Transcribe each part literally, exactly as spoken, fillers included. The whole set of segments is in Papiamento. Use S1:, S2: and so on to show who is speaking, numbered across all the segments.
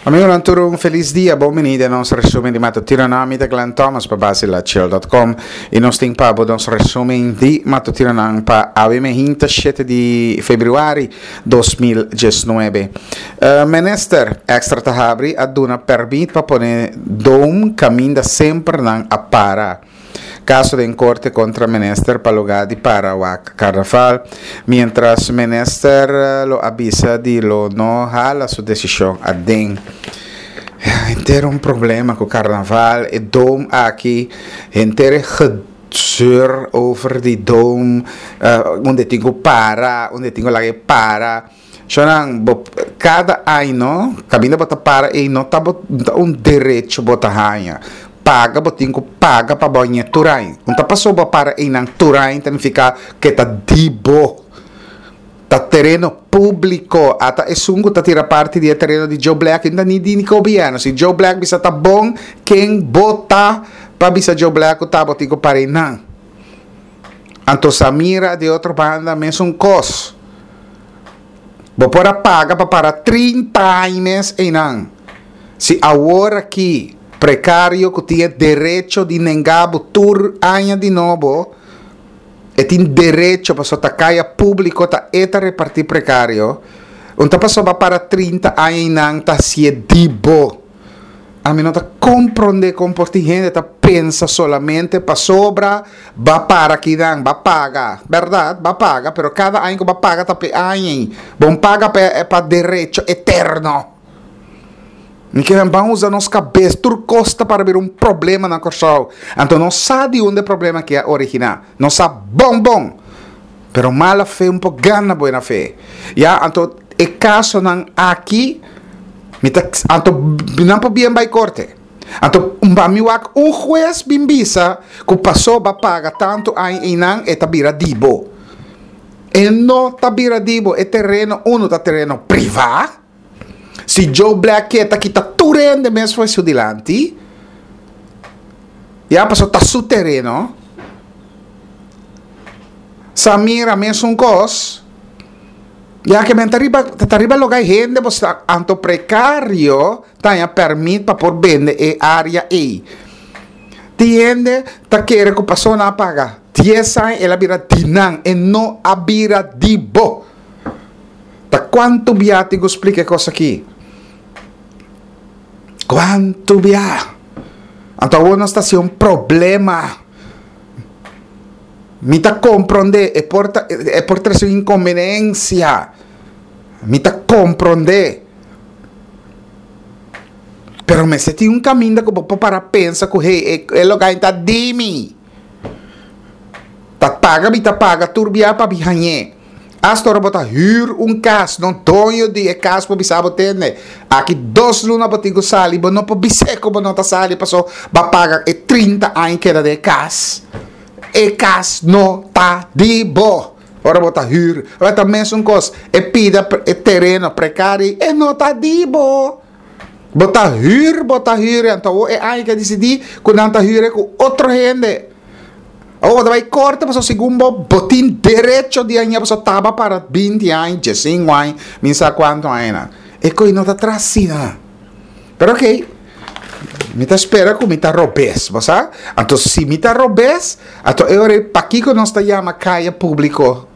S1: Amigonan tur un felis dia, bon bini den nos resumen di matutinonan. Mi ta Glenn Thomas pa Basilachill dot com y nos tin pa bo nos resumen di matutinonan pa awe mehinta shete di februari dos mil diesnuebe. Minister Extra ta habri a duna permit pa pone dome caminda semper nan a para. Caso den corte contra minister pa lugar di para wak carnaval. Mientras minister lo a bisa di lo no hala su decision aden. Henter un problema cu carnaval, e dome aki, henter e gezeur over di dome, unda tin cu para, unda tin cu laga e para. Shonan, bo, cada aña, caminda bo ta para ei no ta bo, ta un derecho bo ta haña. Paga, bo tin cu paga pa bo haña tur aña. Un ta paso bo para einan tur aña ta nifica ke ta di bo. Ta tereno publico. Ata esun cu ta tira parti di e tereno di Joe Black, no ta ni di ni gobierno. Si Joe Black bisa ta bon, ken bo ta pa bisa Joe Black cu ta bo tin cu para einan? Anto Samira di otro banda mesun cos. Bo por a paga pa para trinta aña mes einan. Si awor aki precario cu tin e derecho di nenga bo tur aña di nobo, e tin derecho pasobra ta caya publico, ta e ta reparti precario, un ta pasobra para trinta aña einan ta hacié di bo. Ami no ta comprende con por tin hende ta pensa solamente pasobra ba para kinan, ba paga. Berdad, ba paga, pero cada aña cu ba paga ta pe aña. Bon paga pa, pa derecho eterno. Ni que ban usa nos cabeza, tur costa para ver un problema na Corsou. Anto no sa di unda e problema que a origina. No sa bon bon. Pero mala fe un po gana buena fe. Ya, anto e casonan aki, mi ta, anto nan por bien bai corte. Anto ba mi wak un juez bin bisa ku paso ba paga tanto aña einan e ta bira di bo. E no ta bira di bo, e terreno uno ta terreno priva. Si Joe Black ke ta kita tur hende mes for su dilanti, ya paso ta su terreno. Samira mesun kos. Ya ke men ta riba, ta riba loga hende, bo sa, anto precario ta haña permit pa por bende e área ei. Ti hende ta kere ku paso nan a paga dies aña el a bira di nan, e no a bira di bo. Ta kuantu bia tin ku splika e kos aki? Kuantu bia? Anto awor nos ta hasi un problema. Mi ta comprende, e por ta, e por trece un inconveniencia. Mi ta comprende. Pero mester tin un caminda cu bo por para pensa cu, hey, e, e loga ta di mi. Ta paga, mi ta paga, tur bia pa mi hañe. Hasta ora bo ta huur un cas, no doño di e cas por bisa bo tende. Aki dos luna bo tin cu sali, bo no por bis'é cu bo no ta sali, paso ba paga e trinta aña keda den e cas. E cas no ta di bo. Ora bo ta huur, ora ta mesun cos, e pida e tereno precari, e no ta di bo. Bo ta huur, bo ta huur, anto awor e aña ke disidi ku nan ta huur ku otro hende. Awor bo ta bai korte pasobra segun bo, bo tin derecho di aña pasobra taba para binti aña, diesinco aña, mi sa kuantu añanan. E koi no ta tras asina. Pero ok, mi ta spera ku mi ta robes, bo sa? Anto si mi ta robes, anto e ora ei pakiko nos ta yama kaya públiko?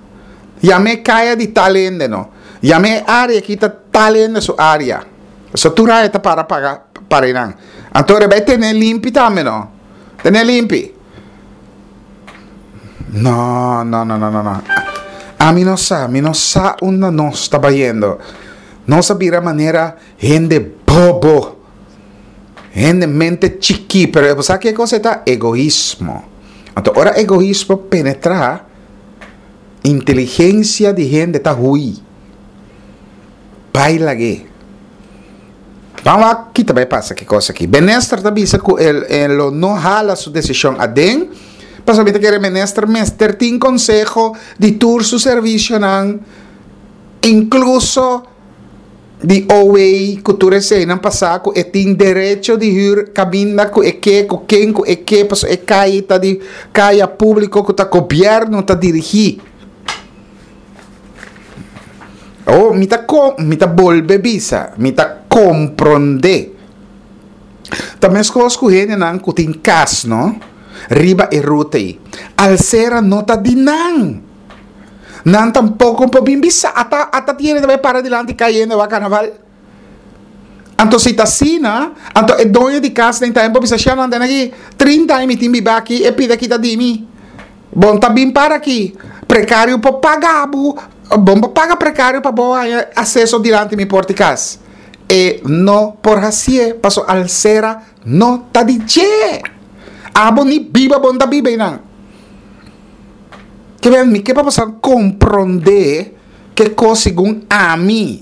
S1: Yama e kaya di tal hende no. Yama e área aki ta tal hende su área. So tur aña ta para paga para einan. Anto ora bai tene limpi tambe no. Tene limpi. No, no, no, no, no, no. Ami no sa, mi no sa unda nos ta bayendo. Nos a bira manera hende bobo. Hende mente chikí, pero bo sa ke kos e ta? Egoismo. Anto ora egoismo penetrá, inteligensia di hende ta hui. Bai lag'é. Ban wak kita bai pasa ki kos aki. Minister ta bisa ku el, el lo no hala su desishon aden, pasobra mi ta kere minister mester tin konseho di tur su servisionan, inkluso di O W ku tur eseinan pasá ku e tin derecho di hür kaminda ku e ke, ku ken ku e ke, pasobra e kaya ta di kaya públiko ku ta gobièrnu ta dirigí. Oh, mi ta ko-, mi ta bolbe bisa, mi ta komprondé. Ta meskos ku hendenan ku tin kas, no? Riba e ruta ei. Alsera no ta di nan. Nan tampoko por bin bisa ata ata tiene ta bai para dilanti kai hende wak karnaval. Anto si ta asina, anto e doño di kas den tambe por bisa shia nan tene aki trinta aña mi tin biba aki e pida kita di mi. Bon ta bin para aki. Prekario por paga bo, bon por paga prekario pa bo haña aseso dilanti mi porta di kas. E no por hasié paso alsera no ta di dje. Abo ni biba bon ta biba einan. Ke men mi ke pa boso komprondé ke kos segun ami.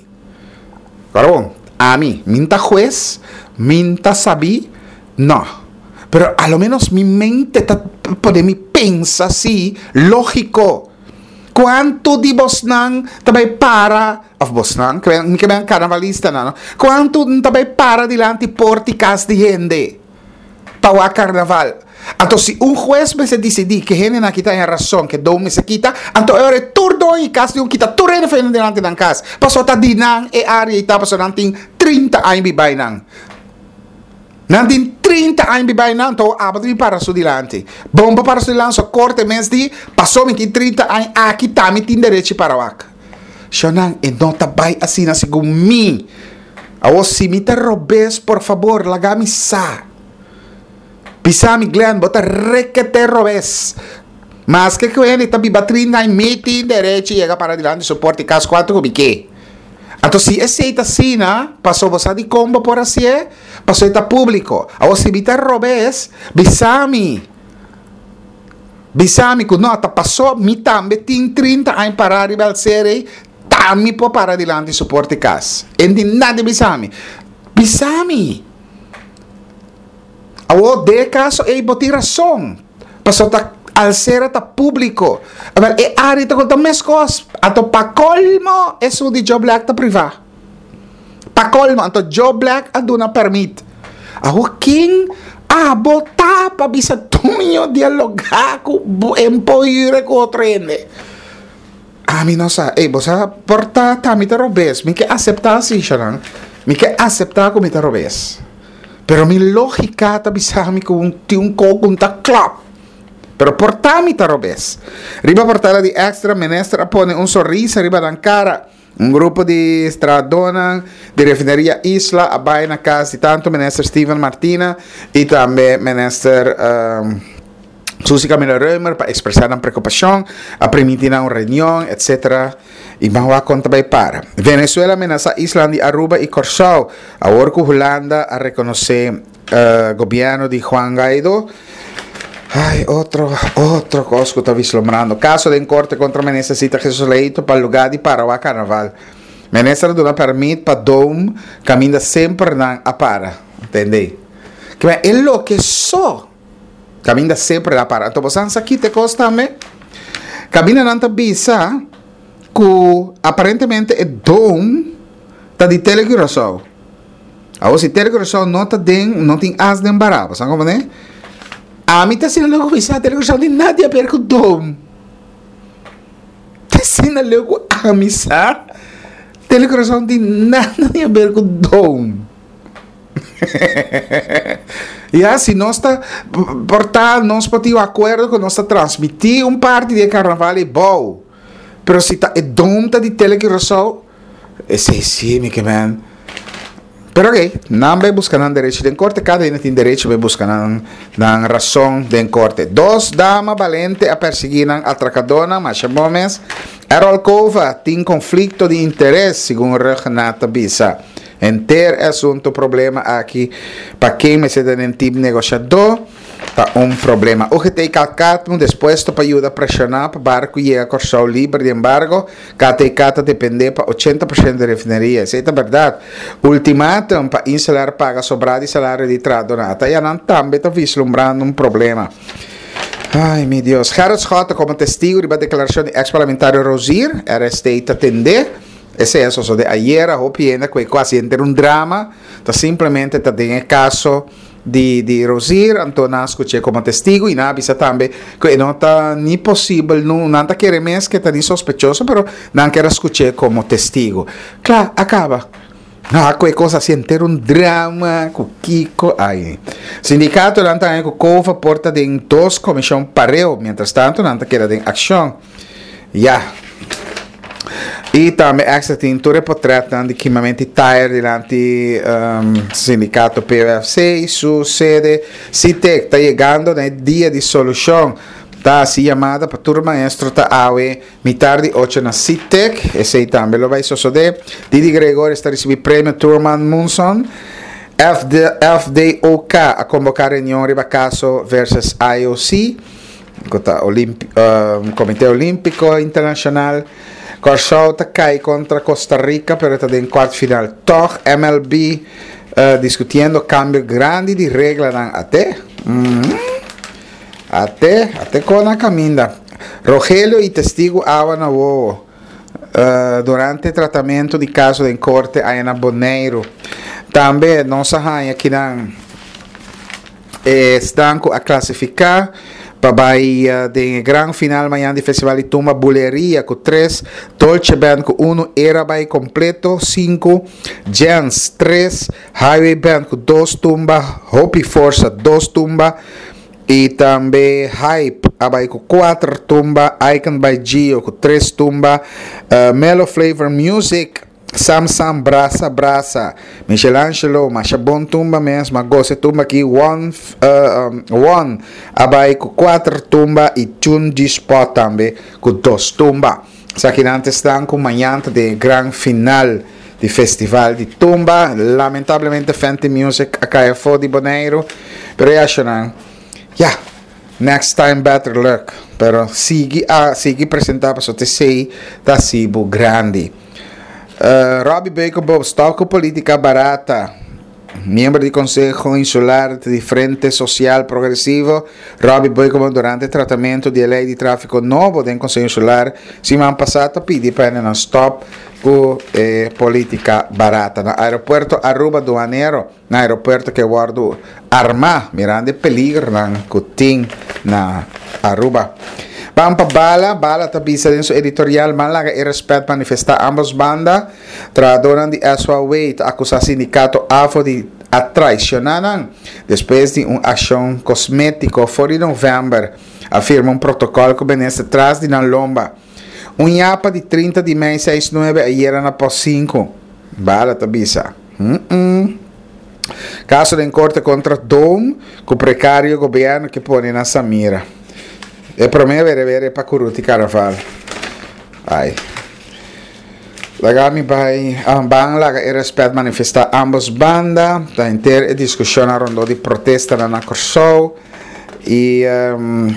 S1: Ora bon, ami, mi n'ta hues, mi n'ta sabí, no. Pero a lo menos mi mente ta pone mi pensa si lógiko. Kuantu di bosnan ta bai para, òf bosnan, mi ke men karnavalistanan, no? Kuantu ta bai para dilanti porta di kas di hende pa wak karnaval? Anto si un hues mester disidí ke hendenan aki ta haña rason, ke dou mester kita, anto e ora e tur doño di kas di un kita tur hende for dilanti nan kas, pasobra ta di nan e área ei ta, pasobra nan tin trinta aña biba einan. Nan tin trinta aña biba einan, anto abo ta bin para su dilanti. Bon pa para su dilanti, so korte mes di, pasobra mi tin trinta aña aki, ta mi tin derechi para wak. Shonnan, e no ta bai asina segun mi. Awor si mi ta robes, por fabor, laga mi sa. Bisa mi, Glenn, bo ta rekete robes. Maske ku hende ta biba trinta aña, mi tin derechi yega para dilanti su porta i kas kuantu ku mi ke. Anto si esei ta asina, paso bo sa dikon bo por hasié? Paso e ta públiko. Awor si mi ta robes, bisa mi. Bisa mi ku no, ta paso mi tambe tin trinta aña pará riba el ser ei, ta mi por para dilanti su porta i kas. E no tin nada di bisa mi. Bisa mi. Awor den e kaso ei bo tin rason, pasobra ta alsera ta públiko. Awor e área ta konta meskos. Anto pa kolmo esun di Joe Black ta privá. Pa kolmo, anto Joe Black a duna pèrmit. Awor ken abo ta pa bisa duño dialogá ku empoire ku otro hende? Ami no sa. Ey, bo sa por ta ta mi ta robes. Mi ke aseptá si, Sharon. Mi ke aseptá ku mi ta robes. Pero mi lógika ta bisa mi ku tin un kos ku ta klòp. Pero por ta mi ta robes. Riba portada di Extra, minister a pone un sonrisa riba nan kara. Un grupo di trahadónan di refineria Isla a bai na kas di tantu minister Steven Martina i tambe minister um, Suzy Camilo Römer pa ekspresá nan preokupashon, a primintí nan un reunion, etcétera. I ban wak kon ta bai para. Venezuela a menasá islan di Aruba i Kòrsou awor ku Hulanda a rekonosé gobièrnu di Juan Guaidó. Ai, otro, otro kos ku ta vislumbrando. Kaso den korte kontra minister Sita Jesus Leito pa lugá di para wak karnaval. Minister a duna pèrmit pa Dome kaminda semper nan a para. Tende? Kiba e loke so kaminda semper nan a para. Anto bo sa kita e kos tambe? Kaminda nan ta bisa ku aparentemente e Dome ta di Tele Curaçao. Awor si Tele Curaçao no ta den, no tin as den bará, bo sa komo ne? Ami ta asina leu ku bisa Tele Curaçao tin nada di aber ku Dome. Ta asina leu ku ami sa Tele Curaçao no tin nada di aber ku Dome. Ya, si nos ta por ta nos por tin un akuerdo ku nos ta transmití un parti di e karnaval ei bou. Pero si ta e Dome ta di Tele Curaçao, esei sí mi ke men. Pero ok, nan bai buska nan derecho den korte, kada hende tin derecho bai buska nan nan rason den korte. Dos dama balente a persiguí nan atrakadónan, masha bon mes. Errol Cova tin konflikto di interes, segun Rhuggenaath ta bisa. Henter e asunto problema aki pa ken mester ta den tim negoshadó ta un problema. U G T Kalkatmu dispuesto pa yuda preshoná pa barku yega Kòrsou liber di embargo. K T K ta dependé pa ochenta por shento di refineria. Esei ta bèrdat. Ultimatum pa Insular paga sobrá di salario di trahadónan. Ata ya nan tambe ta vislumbrando un problema. Ai, mi Dios. Gerrit Schotte komo testigu riba deklarashon di eks-parlamentario Rozier. R S T ta tendé. Esei a sosodé ayera. Hopi hende ku e kuasi henter un drama. Ta simplemente ta den e kaso di, di Rozier, anto nan a skuch'é komo testigu i nan a bisa tambe ku e no ta ni posibel, no, nan ta kere mes ke ta ni sospechoso, pero nan ker a skuch'é komo testigu. Kla, a kaba. No, ku e kos asina henter un drama, ku kiko, ai. Sindikatonan ta ku Cova por ta den dos komishon pareu, mientrastantu nan ta keda den akshon. Ya. I tambe Extra tin tur e portrètnan di kimamentu di tayer dilanti um, sindikato P U F C, su sede. SITEK ta yegando na dia di solushon. Ta hasi yamada pa tur maestro, ta awe mitar di ocho na SITEK. Esei tambe lo bai sosodé. Didi Gregorius ta risibí premio Thurman Munson. F D, F D O K a konvoká reunion riba kaso versus I O C, ku ta Olimpi, um, Komité Olímpiko Internashonal. Kòrsou ta kai kontra Costa Rica, pero ta den kwart final. Toch M L B uh, diskutiendo kambio grandi di reglanan ate. Mm -hmm. Ate, ate kon na kaminda. Rogelio i testigu awa na wowo Uh, durante tratamentu di kaso den korte ei na Boneiru. Tambe nos a haña akinan esnan ku a klasifiká pa bai uh, den gran final mañan di Festival di Tumba: Buleria ku tres, Dolce Band ku un, Era bai kompleto sinku, Jens tres, Highway Band ku dos tumba, Hopi Força dos tumba i tambe Hype a bai ku kuater tumba, Icon by Gio ku tres tumba, uh, Melo Flavor Music, Sam Sam Brasa Brasa, Michelangelo, masha bon tumba mes, m'a gosa tumba aki, One, uh, um, One a bai ku kuater tumba i Tune G Spot tambe ku dos tumba. Esakinan ta ku mañan den gran final di Festival di Tumba. Lamentablemente Fenty Music a kai afó di Boneiru, pero e ya, next time better luck. Pero sigui a sigui presentá pa esei ta sibu grandi. Uh, Robbie Beukeboom, stòp ku polítika barata. Miembro di Konseho Insular di Frente Sosial Progresivo, Robbie Beukeboom, durante tratamentu di lei di tráfiko nobo den Konseho Insular, siman pasá a pidi pa nan stòp ku eh, polítika barata. Na aeropuerto Aruba duanero, na aeropuerto ku a wòrdu armá, mirando peligernan ku tin na Aruba. Ban pa Bala, Bala ta bisa den su editorial, ban laga e rèspèt manifestá ambos banda. Trahadónan di S O W ta akusá sindikato A F O di a traishoná nan. Despues di un akshon kosmétiko for di novèmber, a firma un protokòl ku minister tras di nan lomba. Un yapa di trinta di mei seis nuebe ayera na pos sinku. Bala ta bisa. Mm -mm. Kaso den korte kontra Dome, ku prekario gobièrnu ke pone na Samira. E promé bere bere pa Kuruti Carnaval. Ai. Laga mi bai um, ban laga e rèspèt manifestá ambos banda, ta henter e diskushon rondó di protesta na Kòrsou. I um,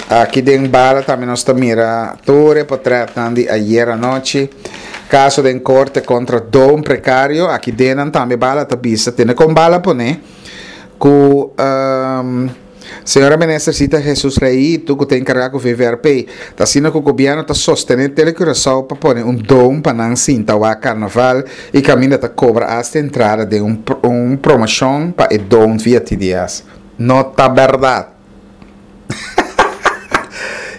S1: aki den Bala tambe nos ta mira tur e portrèt di ayera nochi. Kaso den korte kontra Dome prekario, aki den tambe Bala ta bisa, tene kon Bala pone ku um, señora minister Zita Jesus Leito, ku ta enkargá ku V V R P, ta asina ku gobièrnu ta sostené Telecuraçao pa pone un dome pa nan sinta wak karnaval i kaminda ta kobra hasta entrada di un, un promoshon pa e dome via T D S. No ta bèrdat.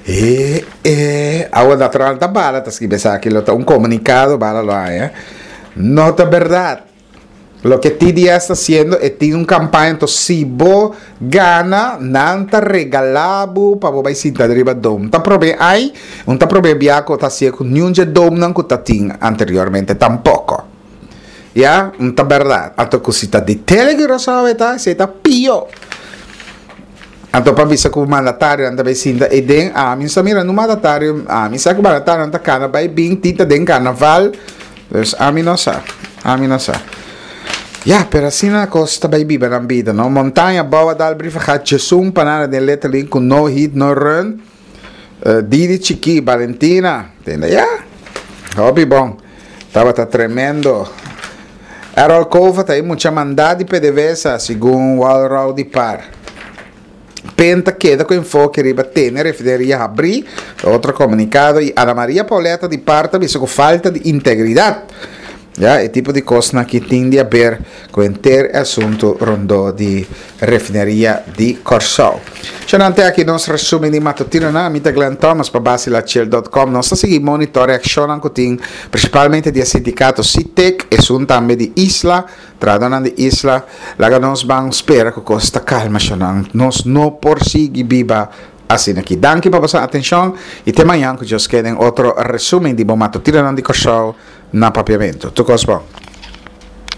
S1: E, e, awa natural ta Bala, ta skirbi aki, ta un komunikado, Bala lo eh? No ta bèrdat. Loke T D S ta hasiendo e tin un kampaña, anto si bo gana, nan ta regalá bo pa bo bai sinta riba dome. Ta promé ai, no ta promé bia ku ta hasi ku ningun dome nan ku ta tin anteriormente tampoko. Ya, no ta bèrdat. Anto ku si ta di Telecuraçao ta, esei ta pió. Anto pa bisa ku mandatario anda bai sinta e den ami sa mira no mandatario, ami sa ku mandatario anda kana bai bin tita den karnaval. Dus ami no sa. Ami no sa. Ja, pero asina kos ta bai biba na bida, no? Montaña Boa dal brief gaat Jesum panana den letterlijk ku no hit no run. Uh, Didi Chiki, Valentina, tende ya? Hopi bon. Tabata tremendo. Errol Cova ta mucha mandá di P D V S A, segun Walrow di Par. Penta keda ku enfoke riba tene refineria habrí, otro komunikado, i Ana Maria Pauletta di par ta bisa ku falta di integridat. Ya, e tipo di kosnan ku tin di aber ku henter asuntu rondó di refineria di Kòrsou. Shonnan, te aki nos resumen di matutino na mi ta Glenn Thomas pa basilachel punto com. Nos ta sigui monitor reakshon ku tin prinsipalmente di sindikato Sitek, esun tambe di Isla, trahadónan di Isla. Laga nos ban spera ku kos ta kalma, shonnan. Nos no por sigui biba asina aki. Danki pa boso atenshon i te mañan ku Dios ke den otro resumen di bo matutino di Kòrsou na Papiamentu. Tur kos bon.